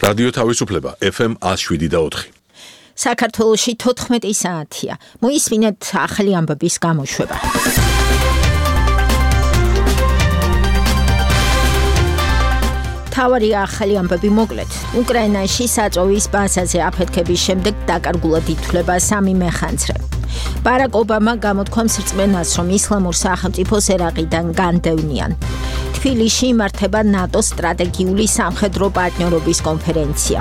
რადიო თავისუფლება FM 107.4. საქართველოში 14 საათია. მოისმინეთ ახალი ამბების გამოშვება. თავარი ახალი ამბები მოკლედ. უკრაინაში საწოვის ბაზაზე აფეთქების შემდეგ დაკარგულად ითვლება 3 მეხანძრე. ბარაკ ობამა გამოთქვამს რწმენას, რომ ისლამურ სახელმწიფოს ერაყიდან განდევნიან. თბილისში იმართება ნატოს სტრატეგიული სამხედრო პარტნიორობის კონფერენცია.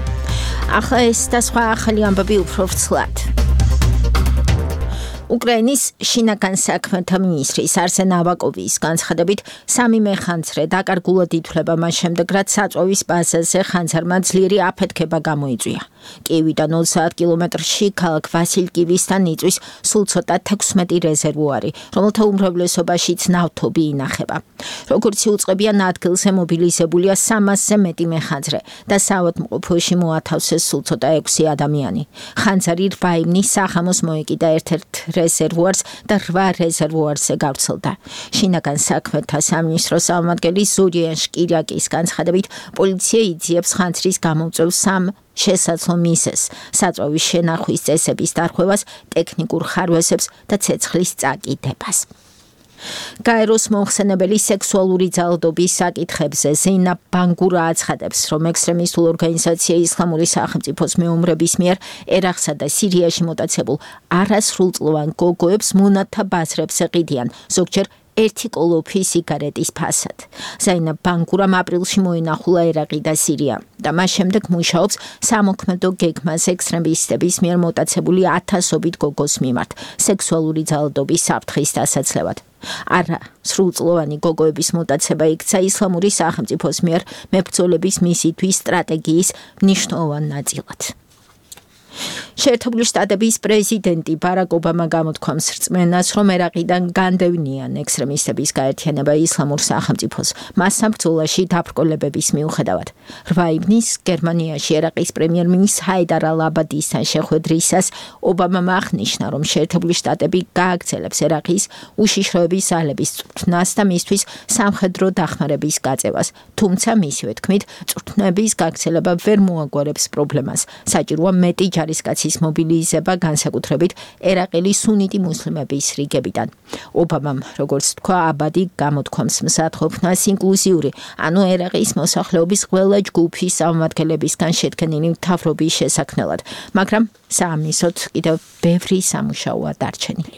ახლა ეს და სხვა ახალი ამბები უფრო ვრცლად. უკრაინის შინაგან საქმეთა მინისტრის არსენ ავაკოვის განცხადებით 3 მეხანძრე დაკარგულად ითვლება მას შემდეგ, რაც საწოვის ბაზაზე ხანძარმა ძლიერი აფეთქება გამოიწვია. კიევიდან 30 კილომეტრში ქალაქ ვასილკივისთან იწვის სულ ცოტა 16 რეზერვუარი, რომელთა უმრავლესობაშიც ნავთობი ინახება. როგორც იუწყებიან, ადგილზე მობილიზებულია 300-ზე მეტი მეხანძრე და საავადმყოფოში მოათავსეს სულ ცოტა 6 ადამიანი. ხანძარი 8 ივნის სახამოს მოეკიდა ერთ-ერთ რეზერვუარს და 8 რეზერვუარზე გავრცელდა. შინაგან საქმეთა სამინისტროს წარმომადგენელი ზურიან შკირაკის განცხადებით, პოლიცია იძიებს ხანძრის გამომწვევ 3 შესაძლო მიზეზს, საწოვის შენახვის წესების დარღვევას, ტექნიკურ ხარვესებს და ცეცხლის წაკიდებას. გაეროს მომხსენებელი სექსუალური ძალადობის საკითხებზე ზეინა ბანგურა აცხადებს, რომ ექსტრემისტულ ორგანიზაცია ისლამური სახელმწიფოს მეომრების მიერ ერაყსა და სირიაში მოტაცებულ არასრულწლოვან გოგოებს მონათა ბაზრებს ეყიდიან, ზოგჯერ 1 კოლოფი სიგარეტის ფასად. ზეინა ბანგურამ აპრილში მოინახულა ერაყი და სირია და მას შემდეგ მუშაობს სამოქმედო გეგმას ექსტრემისტების მიერ მოტაცებული 1000-ობით გოგოს მიმართ სექსუალური ძალადობის საფრთხის დასაცლევად. არა სრულწლოვანი გოგოების მოტაცება იქცა ისლამური სახელმწიფოს მიერ მებრძოლების მისითვის სტრატეგიის მნიშვნელოვან ნაწილად. შეერთებული შტატების პრეზიდენტი ბარაკ ობამა გამოთქვამს რწმენას, რომ ერაყიდან განდევნიან ექსტრემისტების გაერთიანება ისლამურ სახელმწიფოს მასსა ბრძოლაში დაბრკოლებების მიუხედავად. 8 ივნის გერმანიაში ერაყის პრემიერ-მინისტრ ჰაიდარ ალ-აბადისთან შეხვედრისას ობამამ აღნიშნა, რომ შეერთებული შტატები გააგრძელებს ერაყის უშიშროების ძალების წვრთნას და მისთვის სამხედრო დახმარების გაწევას, თუმცა მისივე თქმით, წვრთნების გაგრძელება ვერ მოაგვარებს პრობლემას. საჭიროა მეტი ჯარისკაცის მობილიზება, განსაკუთრებით ერაყელი სუნიტი მუსლიმების რიგებიდან. ობამამ, როგორც თქვა, აბადი გამოთქვამს მსათხოფნას ინკლუზიური, ანუ ერაყის მოსახლეობის ყველა ჯგუფის წარმომადგენლებისგან შედგენილი მთავრობის შესაქმნელად, მაგრამ საამისოდ კიდევ ბევრი სამუშაოა დარჩენილი.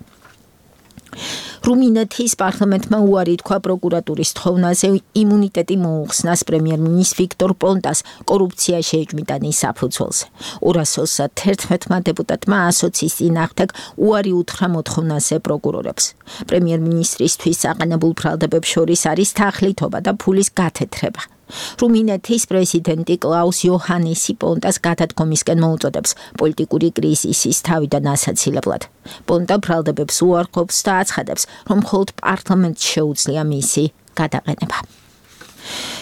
რუმინეთის პარლამენტმა უარი თქვა პროკურატურის თხოვნაზე იმუნიტეტი მოუხსნას პრემიერ-მინისტრ ვიქტორ პონტას კორუფციაში ეჭვმიტანის საფუძველზე. 221 დეპუტატმა ასოციის წინააღმდეგ უარი უთხრა მოთხოვნაზე პროკურორებს. პრემიერ-მინისტრისთვის საყანებულ ბრალდებებს შორის არის თახლითობა და ფულის გათეთრება. რუმინეთის პრეზიდენტი კლაუს იოჰანესი პონტას გადადგომისკენ მოუწოდებს პოლიტიკური კრიზისის თავიდან ასაცილებლად. პონტა ბრალდებებს უარყოფს და აცხადებს, რომ მხოლოდ პარლამენტს შეუძლია მისი გადაყენება.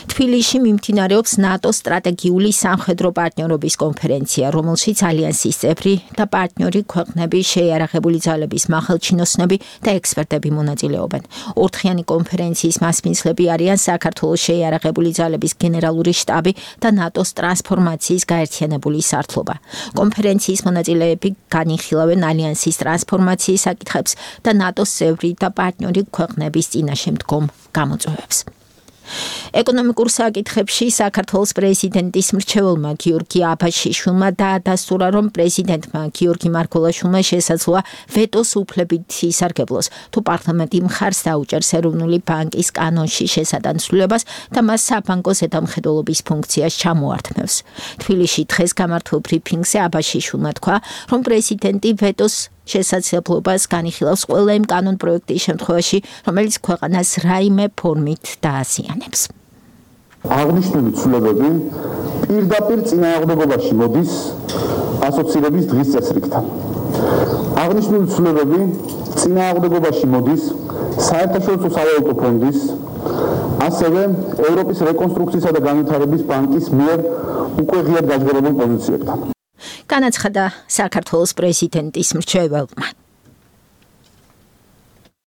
თბილისში მიმდინარეობს ნატოს სტრატეგიული სამხედრო პარტნიორობის კონფერენცია, რომელშიც ალიანსის წევრი და პარტნიორი ქვეყნების შეიარაღებული ძალების მახალჩინოსნები და ექსპერტები მონაწილეობენ. ორდღიანი კონფერენციის მასპინძლები არიან საქართველოს შეიარაღებული ძალების გენერალური შტაბი და ნატოს ტრანსფორმაციის გაერთიანებული სართლობა. კონფერენციის მონაწილეები განიხილავენ ალიანსის ტრანსფორმაციის საკითხებს და ნატოს წევრი და პარტნიორი ქვეყნების წინაშე მდგომ გამოწვევებს. ეკონომიკურ საკითხებში საქართველოს პრეზიდენტის მრჩეველმა გიორგი აბაშიშვილმა დაადასტურა, რომ პრეზიდენტმა გიორგი მარგველაშვილმა შესაძლოა ვეტოს უფლებით ისარგებლოს, თუ პარლამენტი მხარს დაუჭერს ეროვნული ბანკის კანონში შესატანცვლებას და მას საბანკო ზედამხედველობის ფუნქციას ჩამოართმევს. თბილისში დღეს გამართულ ბრიფინგზე აბაშიშვილმა თქვა, რომ პრეზიდენტი ვეტოს შესაძლებლობას განიხილავს ყველა იმ კანონ პროექტის შემთხვევაში, რომელიც ქვეყანას რაიმე ფორმით დააზიანებს. აღნიშნული ცვლილებები პირდაპირ წინააღმდეგობაში მოდის ასოცირების დღის წესრიგთან. აღნიშნული ცვლილებები წინააღმდეგობაში მოდის საერთაშორისო სავალუტო ფონდის, ასევე ევროპის რეკონსტრუქციისა და განვითარების ბანკის მიერ უკვე ღიად გაჟღერებულ პოზიციებთან. განაცხადა საქართველოს პრეზიდენტის მრჩეველმა.